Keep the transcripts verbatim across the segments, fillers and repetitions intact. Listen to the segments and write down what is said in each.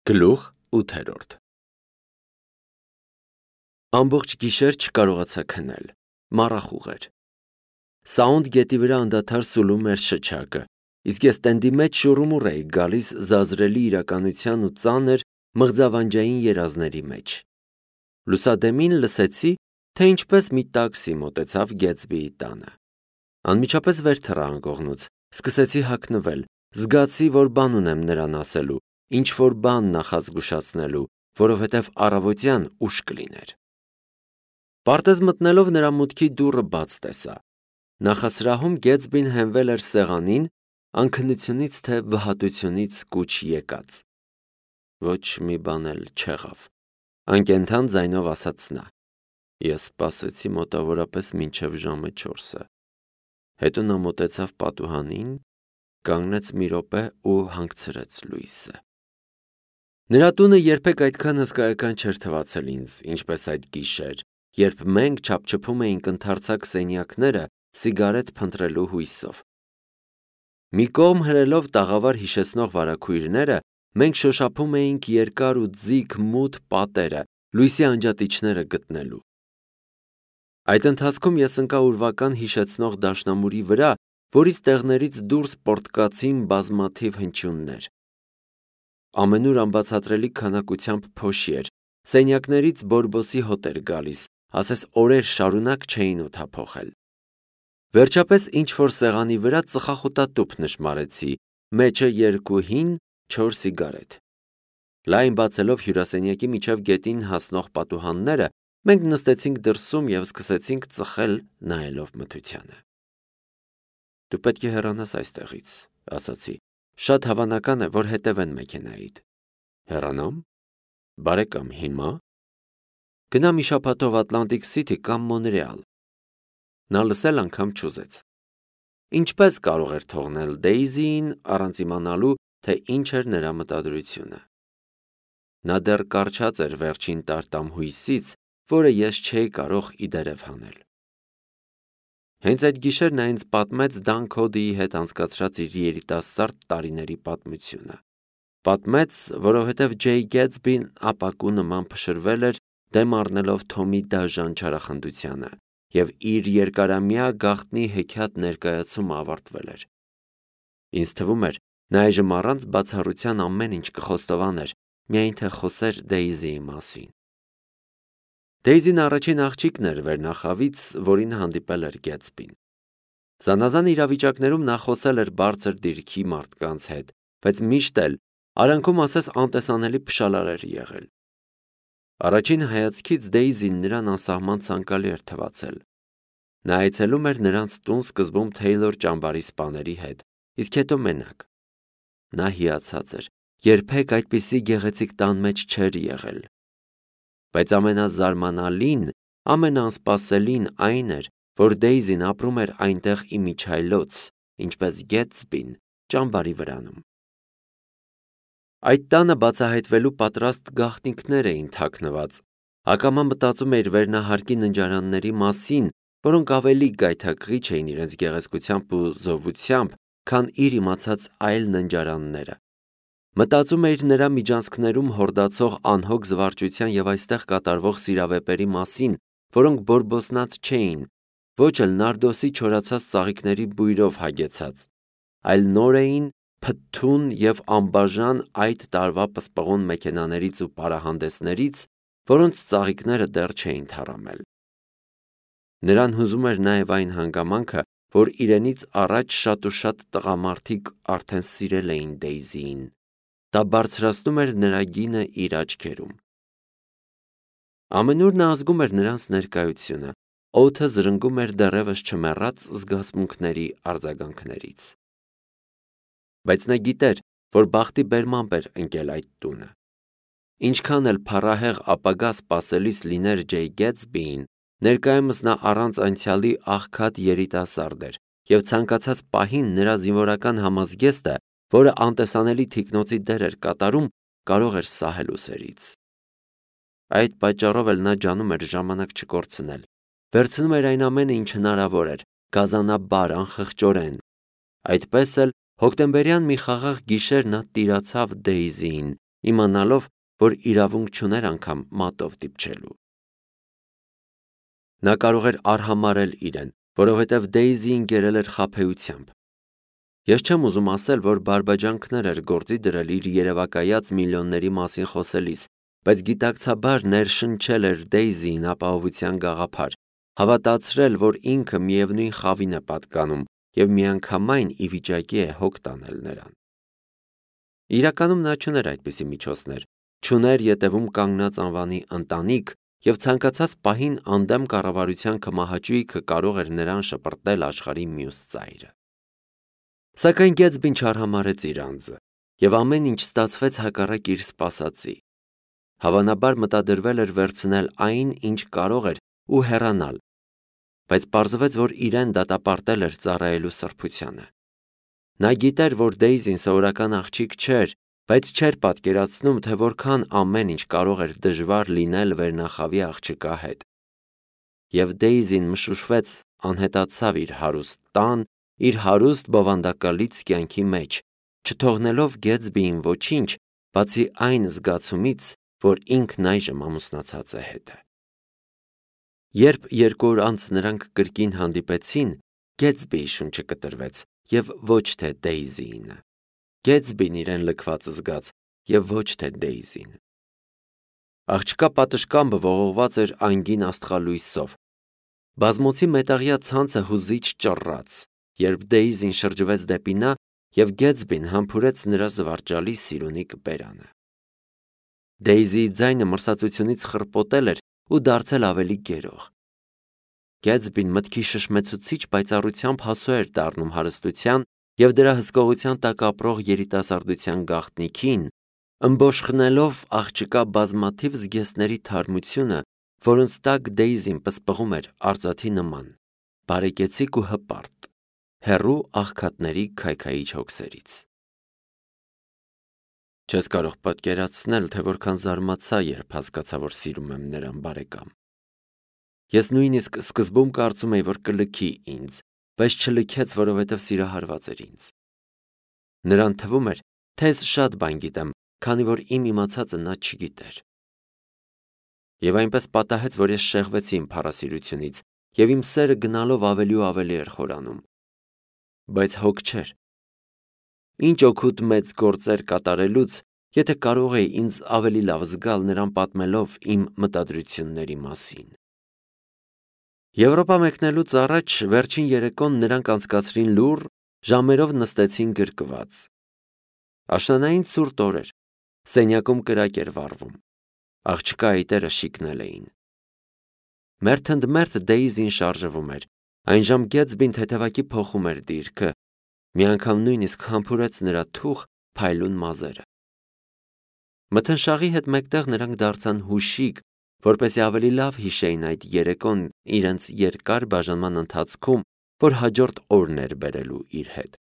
Գլուխ ութերորդ Ամբողջ գիշեր չկարողացա քնել, մառախուղ էր։ Սաունդ գետի վրա անդադար սուլում էր շչակը, իսկ ես տենդի մեջ շուռումուռ էի գալիս զազրելի իրականության ու ծանր մղձավանջային երազների մեջ։ Լուսադեմին լսեցի, թե ինչպես մի տաքսի մոտեցավ Գետսբիի տանը։ Անմիջապես վեր թռա անկողնուց, սկսեցի հագնվել, զգացի, որ բան ունեմ նրան ասելու, ինչ-որ բան նախազգուշացնելու, որովհետև առավոտյան ուշ կլիներ։ Պարտեզ մտնելով նրա մուտքի դուռը բաց տեսա։ Նախասրահում Գետսբին հենվել էր սեղանին, անքնությունից թե վհատությունից կուչ եկած։ Ոչ մի բան էլ չեղավ, անկենդան ձայնով ասաց նա։ Ես սպասեցի մոտավորապես մինչև ժամը չորսը։ Հետո նա մոտեցավ պատուհանին, կանգնեց մի րոպե ու հանգցրեց լույսը։ Նրա տունը երբեք այդքան հսկայական չէր թվացել ինձ, ինչպես այդ գիշեր, երբ մենք չափչփում էինք ընդարձակ սենյակները սիգարետ փնտրելու հույսով։ Մի կողմ հրելով տաղավար հիշեցնող վարագույրները, մենք շոշափում էինք երկար ու ձիգ մութ պատերը, լույսի անջատիչները գտնելու։ Այդ ընթացքում ես ընկա ուրվական հիշեցնող դաշնամուրի վրա, որից տեղներից դուրս պոռթկացին բազմաթիվ հնչյուններ։ Ամենուր անբացատրելի քանակությամբ փոշի էր, սենյակներից բորբոսի հոտ էր գալիս, ասես օրեր շարունակ չէին օդափոխել։ Վերջապես ինչ-որ սեղանի վրա ծխախոտատուփ նշմարեցի, մեջը երկու հին, չոր սիգարետ։ Լայն բացելով հյուրասենյակի միջև գետին հասնող պատուհանները, մենք նստեցինք դրսում և սկսեցինք ծխել, նայելով մթությանը։ Դու պետք է հեռանաս այստեղից, ասացի, շատ հավանական է, որ հետևեն մեքենայիդ։ Հեռանամ։ Բարեկամ, հիմա։ Գնա մի շաբաթով Ատլանտիկ Սիթի կամ Մոնրեալ։ Նա լսել անգամ չուզեց։ Ինչպես կարող էր թողնել Դեյզիին առանց իմանալու, թե ինչ էր նրա մտադրությունը։ Նա դեռ կառչած էր վերջին տարտամ հույսից, որը ես չէի կարող ի դերև հանել։ Հենց այդ գիշեր նա ինձ պատմեց Դան Քոդիի հետ անցկացրած իր երիտասարդ տարիների պատմությունը։ Պատմեց, որովհետև Ջեյ Գետսբին ապակու նման փշրվել էր, դեմ առնելով Թոմի դաժան չարախնդությանը, և իր երկարամյա գաղտնի հեքիաթ ներկայացումը ավարտվել էր։ Ինձ թվում էր, նա այժմ առանց բացառության ամեն ինչ կխոստովաներ, միայն թե խոսեր Դեյզիի մասին։ Դեյզին առաջին աղջիկն էր վերնախավից, որին հանդիպել էր Գետսբին։ Զանազան իրավիճակներում նա խոսել էր բարձր դիրքի մարդկանց հետ, բայց միշտ էլ արանքում ասես անտեսանելի փշալար էր եղել։ Առաջին հայացքից Դեյզին նրան անսահման ցանկալի էր թվացել։ Նա այցելում էր նրանց տուն սկզբում Թեյլոր ճամբարի սպաների հետ, իսկ հետո մենակ։ Նա հիացած էր, երբեք այդպիսի գեղեցիկ տան մեջ չէր եղել։ Բայց ամենազարմանալին, ամենաանսպասելին այն էր, որ Դեյզին ապրում էր այնտեղ իմիջիայլոց, ինչպես Գետսբին ճամբարի վրանում։ Այդ տանը բացահայտվելու պատրաստ գաղտնիքներ էին թաքնված, հակամա մտածում էր վերնահարկի ննջարանների մասին, որոնք ավելի գայթակղիչ էին իրենց գեղեցկությամբ ու զովությամբ, քան իր իմացած այլ ննջարանները։ Մտածում էր նրա միջանցքներում հորդացող անհոգ զվարճության և այստեղ կատարվող սիրավեպերի մասին, որոնք բորբոսնած չէին, ոչ էլ նարդոսի չորացած ծաղիկների բույրով հագեցած, այլ նոր էին, փթթուն և անբաժան այդ տարվա պսպղուն մեքենաներից ու պարահանդեսներից, որոնց ծաղիկները դեռ չէին թառամել։ Նրան հուզում էր նաև այն հանգամանքը, որ իրենից առաջ շատ ու շատ տղամարդիկ արդեն սիրել էին Դեյզիին։ Դա բարձրացնում էր նրա գինը իր աչքերում։ Ամենուր նա ազգում էր նրանց ներկայությունը, օդը զրնգում էր դեռևս չմեռած զգացմունքների արձագանքներից։ Բայց նա գիտեր, որ բախտի բերմամբ էր ընկել այդ տունը։ Ինչքան էլ փառահեղ ապագա սպասելիս լիներ Ջեյ Գետսբիին, ներկայումս նա առանց անցյալի աղքատ երիտասարդ էր, և ցանկացած պահին նրա զինվորական համազգեստը, որը անտեսանելի թիկնոցի դեր էր կատարում, կարող էր սահել ուսերից։ Այդ պատճառով էլ նա ջանում էր ժամանակ չկորցնել, վերցնում էր այն ամենը, ինչ հնարավոր էր, գազանաբար, անխղճորեն։ Այդպես էլ հոկտեմբերյան մի խաղաղ գիշեր նա տիրացավ Դեյզիին, իմանալով, որ իրավունք չուներ անգամ մատով դիպչելու։ Նա կարող էր արհամարել իրեն, որովհետև Դեյզին գերել էր խաբեությամբ։ Ես չեմ ուզում ասել, որ բարբաջանքներ էր գործի դրել իր երևակայած միլիոնների մասին խոսելիս, բայց գիտակցաբար ներշնչել էր Դեյզիին ապահովության գաղափար, հավատացրել, որ ինքը միևնույն խավին է պատկանում և միանգամայն ի վիճակի է հոգ տանել նրան։ Իրականում նա չուներ այդպիսի միջոցներ, չուներ ետևում կանգնած անվանի ընտանիք և ցանկացած պահին անդեմ կառավարության քմահաճույքը կարող էր նրան շպրտել աշխարհի մյուս ծայրը։ Սակայն Գեթսբին չարհամարհեց իր անձը, և ամեն ինչ ստացվեց հակառակ իր սպասածի։ Հավանաբար մտադրվել էր վերցնել այն, ինչ կարող էր ու հեռանալ, բայց պարզվեց, որ իրեն դատապարտել էր ծառայելու սրբությանը։ Նա գիտեր, որ Դեյզին սովորական աղջիկ չէր, բայց չէր պատկերացնում, թե որքան ամեն ինչ կարող էր դժվար լինել վերնախավի աղջկա հետ։ Եվ Դեյզին մշուշվեց, անհետացավ իր հարուստ տան, իր հարուստ բովանդակալից կյանքի մեջ, չթողնելով Գեթսբիին ոչինչ, բացի այն զգացումից, որ ինքն այժմ ամուսնացած է հետը։ Երբ երկու օր անց նրանք կրկին հանդիպեցին, Գեթսբիի շունչը կտրվեց և ոչ թե Դեյզիինը։ Գեթսբին իրեն լքված զգաց և ոչ թե Դեյզին։ Աղջկա պատշգամբը ողողված էր անգին աստղալույսով։ Բազմոցի մետաղյա ցանցը հուզիչ ճռռաց, երբ Դեյզին շրջվեց դեպի նա և Գեթսբին համբուրեց նրա զվարճալի սիրունիկ բերանը։ Դեյզիի ձայնը մրսածությունից խռպոտել էր ու դարձել ավելի գերող։ Գեթսբին մտքի շշմեցուցիչ պայծառությամբ հասու էր դառնում հարստության և դրա հսկողության տակ ապրող երիտասարդության գաղտնիքին, ըմբոշխնելով աղջկա բազմաթիվ զգեստների թարմությունը, որոնց տակ Դեյզին պսպղում էր արծաթի նման, բարեկեցիկ ու հպարտ, հեռու աղքատների քայքայիչ հոգսերից։ Չես կարող պատկերացնել, թե որքան զարմացա, երբ հասկացա, որ սիրում եմ նրան, բարեկամ։ Ես նույնիսկ սկզբում կարծում էի, որ կլքի ինձ, բայց չլքեց, որովհետև սիրահարված էր ինձ։ Նրան թվում էր, թե ես շատ բան գիտեմ, քանի որ իմ իմացածը նա չգիտեր։ Եվ այնպես պատահեց, որ ես շեղվեցի իմ փառասիրությունից, և իմ սերը գնալով ավելի ու ավելի էր խորանում։ Բայց հոգ չէր։ Ինչ օգուտ մեծ գործեր կատարելուց, եթե կարող էի ինձ ավելի լավ զգալ նրան պատմելով իմ մտադրությունների մասին։ Եվրոպա մեկնելուց առաջ վերջին երեկոն նրանք անցկացրին լուռ, ժամերով նստեցին գրկված։ Աշնանային ցուրտ օր էր, սենյակում կրակ էր վառվում, աղջկա այտերը շիկնել էին։ Մերթընդմերթ Դեյզին շարժվում էր, այնժամ Գեթսբին թեթևակի փոխում էր դիրքը, մի անգամ նույնիսկ համբուրեց նրա թուխ, փայլուն մազերը։ Մթնշաղի հետ մեկտեղ նրանք դարձան հուշիկ, որպեսզի ավելի լավ հիշեին այդ երեկոն իրենց երկար բաժանման ընթացքում, որ հաջորդ օրն էր բերելու իր հետ։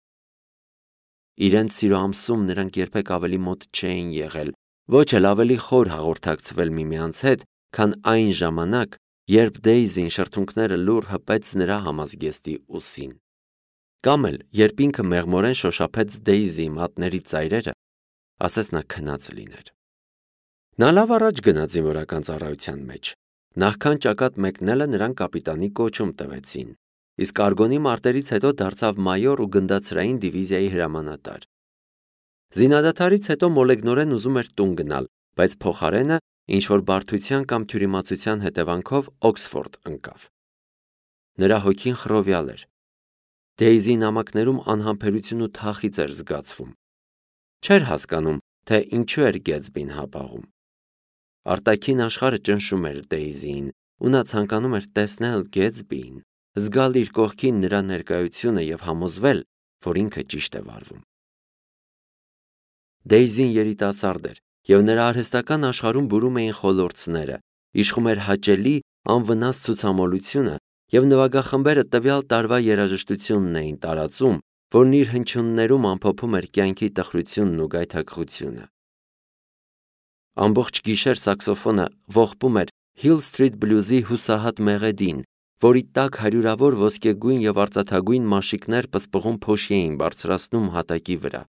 Իրենց սիրո ամսում նրանք երբեք ավելի մոտ չէին եղել, ոչ էլ ավելի խոր հաղորդակցվել միմյանց հետ, քան այն ժամանակ, երբ Դեյզին շրթունքները լուռ հպեց նրա համազգեստի ուսին։ Կամ էլ, երբ ինքը մեղմորեն շոշափեց Դեյզիի մատների ծայրերը, ասես նա քնած լիներ։ Նա լավ առաջ գնաց զինվորական ծառայության մեջ։ Նախքան ճակատ մեկնելը նրան կապիտանի կոչում տվեցին, իսկ արգոնի մարտերից հետո դարձավ մայոր ու գնդացրային դիվիզիայի հրամանատար։ Զինադադարից հետո մոլեգնորեն ուզում էր տուն գնալ, բայց փոխարենը ինչ-որ բարդության կամ թյուրիմացության հետևանքով Օքսֆորդ ընկավ։ Նրա հոգին խռովյալ էր։ Դեյզիի նամակներում անհամբերություն ու թախիծ էր զգացվում։ Չէր հասկանում, թե ինչու էր Գեթսբին հապաղում։ Արտաքին աշխարհը ճնշում էր Դեյզիին, ու նա ցանկանում էր տեսնել Գեթսբիին, զգալ իր կողքին նրա ներկայությունը և համոզվել, որ ինքը ճիշտ է վարվում։ Դեյզին երիտասարդ էր, և նրա արհեստական աշխարհում բուրում էին խոլորձները, իշխում էր հաճելի, անվնաս ցուցամոլությունը, և նվագախմբերը տվյալ տարվա երաժշտությունն էին տարածում, որն իր հնչյուններում ամփոփում էր կյանքի տխրությունն ու գայթակղությունը։ Ամբողջ գիշեր սաքսոֆոնը ողբում էր Hill Street Blues-ի հուսահատ մեղեդին, որի տակ հարյուրավոր ոսկեգույն և արծաթագույն մաշիկներ պսպղուն փոշի էին բարձրացնում հատակի վրա։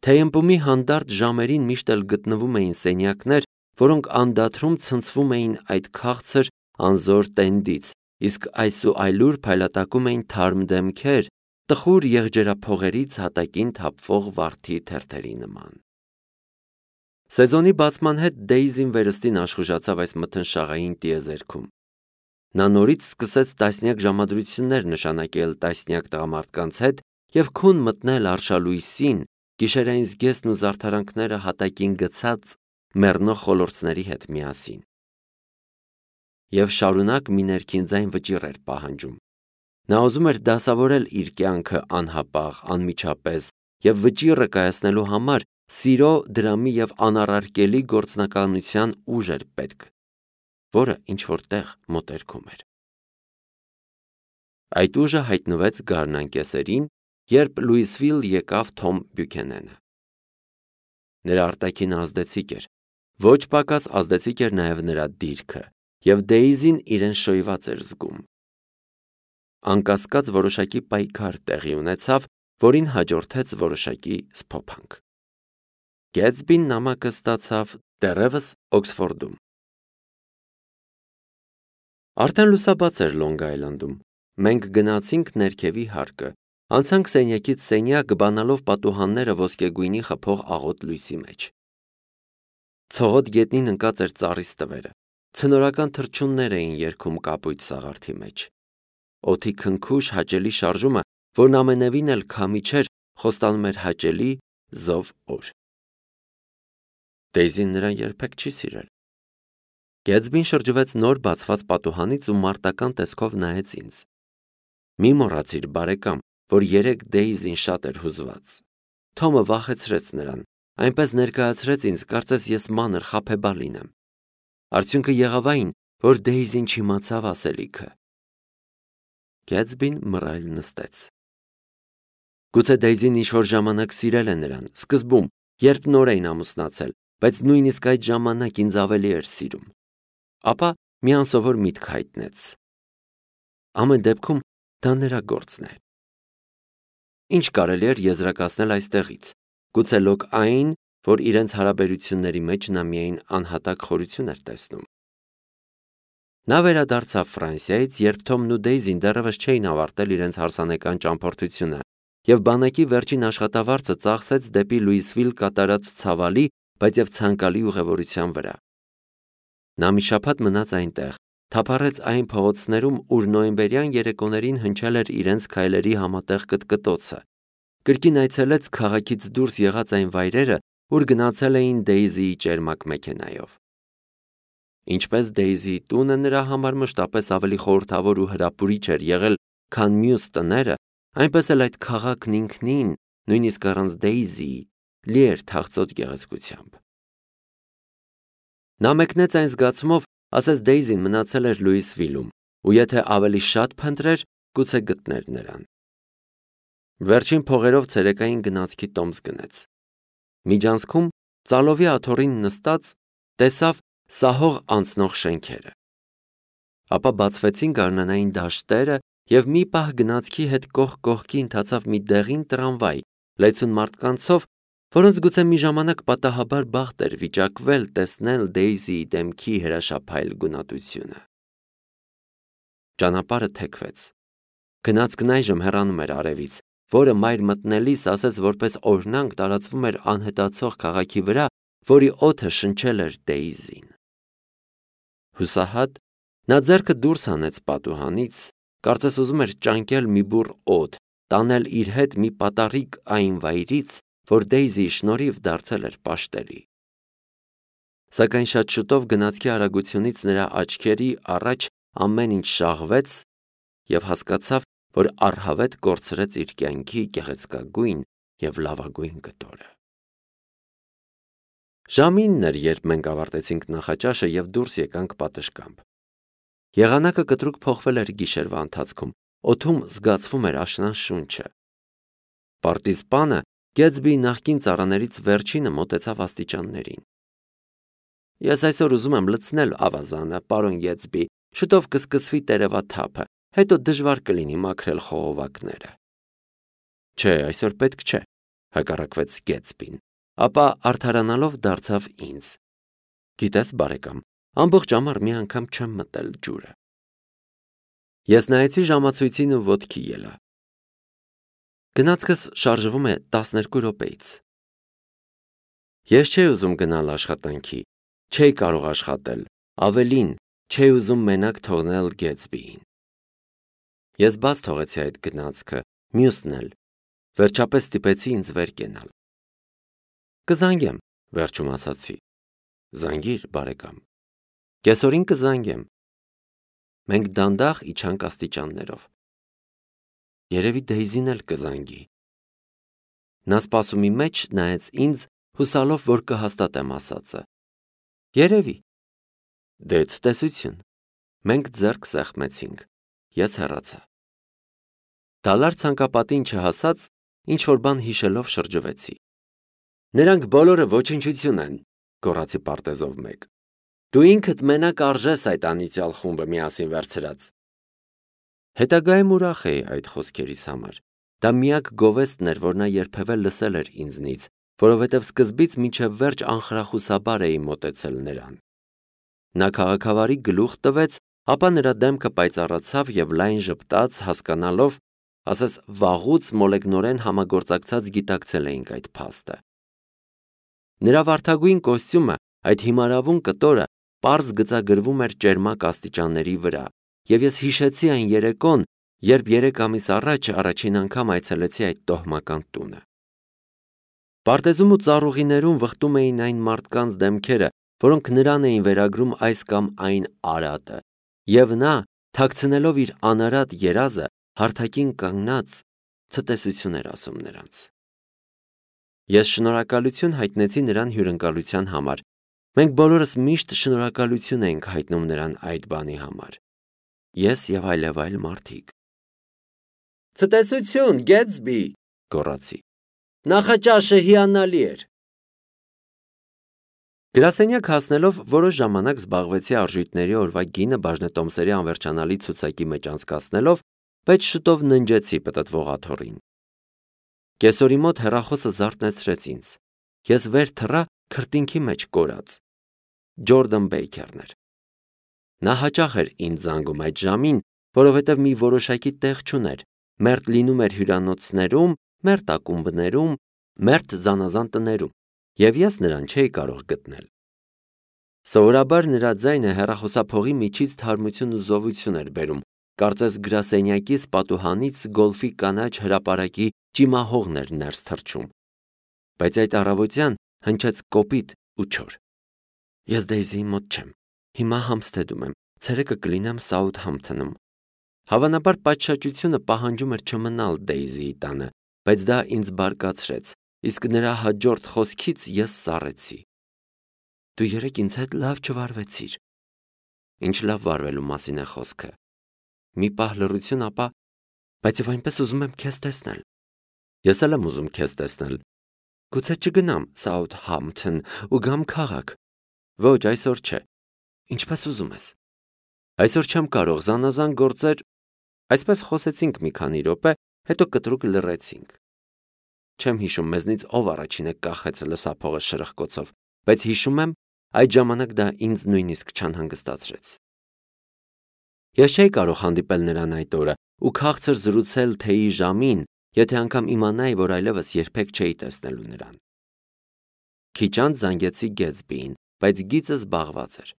Թեյըմպումի հանդարտ ժամերին միշտ էլ գտնվում էին սենյակներ, որոնք անդադրում ցնցվում էին այդ քաղցր անզոր տենդից, իսկ այսուայլուր փայլատակում էին թարմ դեմքեր, տխուր եղջերափողերից հատակին թափվող վարդի թերթերի նման։ Սեզոնի բացման հետ Դեյզին վերստին աշխուժացավ այս մթնշաղային տիեզերքում։ Նա նորից սկսեց տասնյակ ժամադրություններ նշանակել տասնյակ տղամարդկանց հետ և քուն մտնել արշալույսին, գիշերային զգեստն ու զարդարանքները հատակին գցած մեռնող խոլորձների հետ միասին։ Եվ շարունակ մի ներքին ձայն վճիռ էր պահանջում։ Նա ուզում էր դասավորել իր կյանքը անհապաղ, անմիջապես և վճիռը կայացնելու համար սիրո, դրամի և անառարկելի գործնականության ուժ էր պետք, որը ինչ-որ տեղ մոտերքում էր։ Այդ ուժը հայտնվեց գարնան կեսերին, երբ Լուիսվիլ եկավ Թոմ Բյուքենենը։ Նրա արտաքինը ազդեցիկ էր, ոչ պակաս ազդեցիկ էր նաև նրա դիրքը, և Դեյզին իրեն շոյված էր զգում։ Անկասկած որոշակի պայքար տեղի ունեցավ, որին հաջորդեց որոշակի սփոփանք։ Գեթսբին նամակը ստացավ դեռևս Օքսֆորդում։ Արդեն լուսաբաց էր Լոնգ Այլանդում։ Մենք գնացինք ներքևի հարկը, անցանք սենյակից սենյակ, բանալով պատուհանները ոսկեգույնի խփող աղոտ լույսի մեջ։ Ցողոտ գետնին ընկած էր ծառի ստվերը, ցնորական թռչուններ էին երգում կապույտ սաղարթի մեջ։ Օդի քնքուշ հաճելի շարժումը, որն ամենևին էլ քամի չէր, խոստանում էր հաճելի զով օր։ Դեյզին նրան երբեք չի սիրել։ Գեթսբին շրջվեց նոր բացված պատուհանից ու մարտական տեսքով նայեց ինձ։ Մի մոռացիր, բարեկամ, որ երեկ Դեյզին շատ էր հուզված։ Թոմը վախեցրեց նրան, այնպես ներկայացրեց ինձ, կարծես ես մանր խաբեբալ լինեմ։ Արդյունքը եղավ այն, որ Դեյզին չիմացավ ասելիքը։ Գեթսբին մռայլ նստեց։ Գուցե Դեյզին ինչ-որ ժամանակ սիրել է նրան, սկզբում, երբ նոր էին ամուսնացել, բայց նույնիսկ այդ ժամանակ ինձ ավելի էր սիրում։ Ապա մի անսովոր միտք հայտնեց։ Ամեն դեպքում դա նրա գործն է։ Ինչ կարելի էր եզրակացնել այստեղից, գուցե լոկ այն, որ իրենց հարաբերությունների մեջ նա միայն անհատակ խորություն էր տեսնում։ Նա վերադարձավ Ֆրանսիայից, երբ Թոմն ու Դեյզին դեռևս չէին ավարտել իրենց հարսանեկան ճամփորդությունը, և բանակի վերջին աշխատավարձը ծախսեց դեպի Լուիսվիլ կատարած ցավալի, բայց և ցանկալի ուղևորության վրա։ Նա մի շաբաթ մնաց այնտեղ, թափառեց այն փողոցներում, ուր նոյեմբերյան երեկոներին հնչել էր իրենց քայլերի համատեղ կտկտոցը, կրկին այցելեց քաղաքից դուրս եղած այն վայրերը, ուր գնացել էին Դեյզիի ճերմակ մեքենայով։ Ինչպես Դեյզիի տունը նրա համար մշտապես ավելի խորհրդավոր ու հրապուրիչ էր եղել, քան մյուս տները, այնպես էլ այդ քաղաքն ինքնին, նույնիսկ առանց Դեյզիի, լի էր թախծոտ գեղեցկությամբ։ Նա մեկնեց այն զգացումով, ասես Դեյզին մնացել էր Լուիսվիլում, ու եթե ավելի շատ փնտրեր, գուցե գտներ նրան։ Վերջին փողերով ցերեկային գնացքի տոմս գնեց։ Միջանցքում, ծալովի աթոռին նստած, տեսավ սահող անցնող շենքերը։ Ապա բացվեցին գարնանային դաշտերը, և մի պահ գնացքի հետ կողք կողքի ընթացավ մի դեղին տրամվայ, լեցուն մարդկանցով, որոնց գուցե մի ժամանակ պատահաբար բախտ էր վիճակվել տեսնել Դեյզիի դեմքի հրաշափայլ գունատությունը։ Ճանապարհը թեքվեց։ Գնացքն այժմ հեռանում էր արևից, որը մայր մտնելիս ասես որպես օրհնանք տարածվում էր անհետացող քաղաքի վրա, որի օդը շնչել էր Դեյզին։ Հուսահատ, նա ձեռքը դուրս հանեց պատուհանից, կարծես ուզում էր ճանկել մի բուռ օդ, տանել իր հետ մի պատառիկ այն վայրից, որ Դեյզիի շնորհիվ դարձել էր պաշտելի։ Սակայն շատ շուտով գնացքի արագությունից նրա աչքերի առաջ ամեն ինչ շաղվեց, և հասկացավ, որ առհավետ կորցրեց իր կյանքի գեղեցկագույն և լավագույն կտորը։ Ժամինն էր, երբ մենք ավարտեցինք նախաճաշը և դուրս եկանք պատշգամբ։ Եղանակը կտրուկ փոխվել էր գիշերվա ընթացքում, օդում զգացվում էր աշնան շունչը։ Պարտիզպանը Գեթսբիի նախկին ծառաներից վերջինը մոտեցավ աստիճաններին։ Ես այսօր ուզում եմ լցնել ավազանը, պարոն Գեթսբի, շուտով կսկսվի տերևաթափը, հետո դժվար կլինի մաքրել խողովակները։ Չէ, այսօր պետք չէ, հակառակվեց Գեթսբին, ապա արդարանալով դարձավ ինձ. Գիտես, բարեկամ, ամբողջ ամառ մի անգամ չեմ մտել ջուրը։ Ես նայեցի ժամացույցին ու ոտքի ելա։ Գնացքս շարժվում է տասներկու րոպեից։ Ես չէի ուզում գնալ աշխատանքի, չէի կարող աշխատել, ավելին, չէի ուզում մենակ թողնել Գեթսբիին։ Ես բաց թողեցի այդ գնացքը, մյուսն էլ, վերջապես ստիպեցի ինձ վեր կենալ։ Կզանգեմ, վերջում ասացի։ Զանգիր, բարեկամ։ Կեսօրին կզանգեմ։ Մենք դանդաղ իջանք աստիճաններով։ Երևի Դեյզին էլ կզանգի։ Նա սպասումի մեջ նայեց ինձ, հուսալով, որ կհաստատեմ ասածը։ Երևի։ Դե ցտեսություն։ Մենք ձեռք սեղմեցինք։ Ես հեռացա։ Դալար ցանկապատին չհասած, ինչ որ բան հիշելով շրջվեցի։ Նրանք բոլորը ոչնչություն են, գոռացի պարտեզով մեկ։ Դու ինքդ մենակ արժես այդ անիծյալ խումբը միասին վերցրած։ Հետագայում ուրախ էի այդ խոսքերիս համար։ Դա միակ գովեստն էր, որ նա երբևէ լսել էր ինձնից, որովհետև սկզբից մինչև վերջ անխրախուսաբար էի մոտեցել նրան։ Նա քաղաքավարի գլուխ տվեց, ապա նրա դեմքը պայծառացավ և լայն ժպտաց, հասկանալով, ասես վաղուց մոլեգնորեն համագործակցած գիտակցել էինք այդ փաստը։ Նրա վարդագույն կոստյումը, այդ հիմարավուն կտորը, պարզ գծագրվում էր ճերմակ աստիճանների վրա, և ես հիշեցի այն երեկոն, երբ երեք ամիս առաջ առաջին անգամ այցելեցի այդ տոհմական տունը։ Պարտեզում ու ծառուղիներում վխտում էին այն մարդկանց դեմքերը, որոնք նրան էին վերագրում այս կամ այն արատը, և նա, թաքցնելով իր անարատ երազը, հարթակին կանգնած, ցտեսություն էր ասում նրանց։ Ես շնորհակալություն հայտնեցի նրան հյուրընկալության համար։ Մենք բոլորս միշտ շնորհակալություն ենք հայտնում նրան այդ բանի համար։ Ես և այլևայլ մարդիկ։ Ցտեսություն, Գեթսբի, գոռացի։ Նախաճաշը հիանալի էր։ Գրասենյակ հասնելով որոշ ժամանակ զբաղվեցի արժույթների օրվա գինը բաժնետոմսերի անվերջանալի ցուցակի մեջ անցկացնելով, բայց շուտով ննջեցի պտտվող աթոռին։ Կեսօրի մոտ հեռախոսը զարթնեցրեց ինձ։ Ես վեր թռա քրտինքի մեջ կորած։ Ջորդան Բեյքերն էր։ Նա հաճախ էր ինձ զանգում այդ ժամին, որովհետև մի որոշակի տեղ չուներ, մերթ լինում էր հյուրանոցներում, մերթ ակումբներում, մերթ զանազան տներում, և ես նրան չէի կարող գտնել։ Սովորաբար նրա ձայնը հեռախոսափողի միջից թարմություն ու զովություն էր բերում, կարծես գրասենյակիս պատուհանից գոլֆի կանաչ հրապարակի ճիմահողն էր ներս թռչում։ Բայց այդ առավոտյան հնչեց կոպիտ ու չոր։ Ես Դեյզիի մոտ չեմ։ Հիմա Համստեդում եմ, ցերեկը կլինեմ Սաութհամփթոնում։ Հավանաբար պատշաճությունը պահանջում էր չմնալ Դեյզիի տանը, բայց դա ինձ բարկացրեց, իսկ նրա հաջորդ խոսքից ես սառեցի։ Դու երեկ ինձ հետ լավ չվարվեցիր։ Ինչ լավ վարվելու մասին է խոսքը։ Մի պահ լռություն, ապա, բայց և այնպես ուզում եմ քեզ տեսնել։ Ես էլ եմ ուզում քեզ տեսնել։ Գուցե չգնամ Սաութհամփթոն ու գամ քաղաք։ Ոչ, այսօր չէ։ Ինչպես ուզում ես։ Այսօր չեմ կարող, զանազան գործեր։ Այսպես խոսեցինք մի քանի րոպե, հետո կտրուկ լռեցինք։ Չեմ հիշում մեզնից ով առաջինը կախեց լսափողը շրխկոցով, բայց հիշում եմ, այդ ժամանակ դա ինձ նույնիսկ չանհանգստացրեց։ Ես չէի կարող հանդիպել նրան այդ օրը ու քաղցր զրուցել թեյի ժամին, եթե անգամ իմանայի, որ այլևս երբեք չէի տեսնելու նրան։ Քիչ անց զանգեցի Գեթսբիին, բայց գիծը զբաղված էր։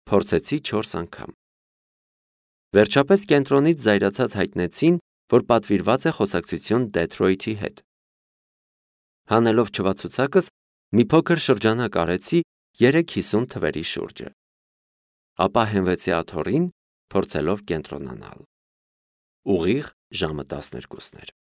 Փորձեցի չորս անգամ։ Վերջապես կենտրոնից զայրացած հայտնեցին, որ պատվիրված է խոսակցություն Դեթրոյթի հետ։ Հանելով չվացուցակս, մի փոքր շրջանակ արեցի երեք հիսուն թվերի շուրջը։ Ապա հենվեցի աթոռին, փորձելով կենտրոնանալ։ Ուղիղ ժամը տասներկուսն էր։